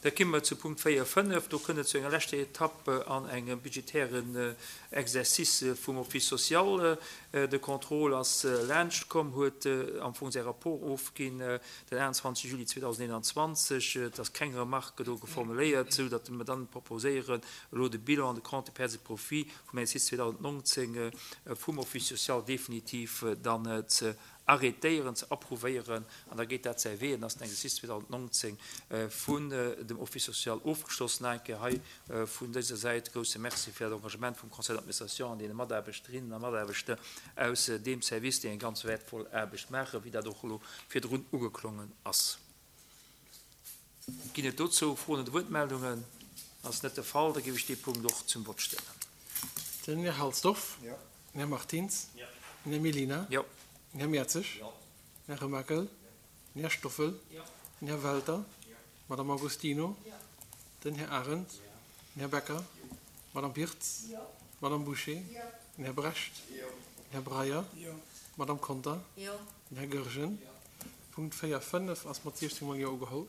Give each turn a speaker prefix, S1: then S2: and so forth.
S1: Da komme mer zu Punkt 4, 5. Do kënnt et zu enger leschter Etapp an engem budgetären Exercice vum Office social. De Contrôle ass laanscht komm, huet am Fong säi Rapport ofginn den 21 Juli 2021. Et ass keng Remarque do geformuléiert, sou datt mer dann proposéieren, elo de Bilan an de Compte de pertes et profits vum Exercice 2019 vum Office social definitiv dann ze arrêtéieren, ze approuvéieren, an da geet dat säi Wee, an ass den Exercice 2019 vun dem Office social ofgeschloss. Nach eng Kéier hei vun dëser Säit grousse Merci fir dat Engagement vum Conseil d'administration an deene Mataarbechterinnen a Mataarbechter aus deem Service, déi eng ganz wäertvoll Aarbecht maachen, wéi dat och elo virdrun ugeklongen ass. Ginn et dozou Froen oder Wuertmeldungen? Ass net de Fall, da géif ech dee Punkt och zum Vott stellen.
S2: Den Här Halsdorf. Jo. Den Här Martins. Jo. Den Här Mellina.
S1: Jo.
S2: Den Här Mertzig. Jo. Den Här Remakel. Jo. Den Här Stoffel. Jo. Den Här Welter. Jo. D'Madame Agostino. Jo. Den Här Arendt. Jo. Den Här Becker. Jo. D'Madame Birtz. Jo. D'Madame Bouché. Jo. Den Här Brecht. Jo. Den Här Breyer. Jo. D'Madame Conter. Jo. Den Här Goergen. Jo. Punkt 4, 5 ass mat 16 mol Jo ugeholl.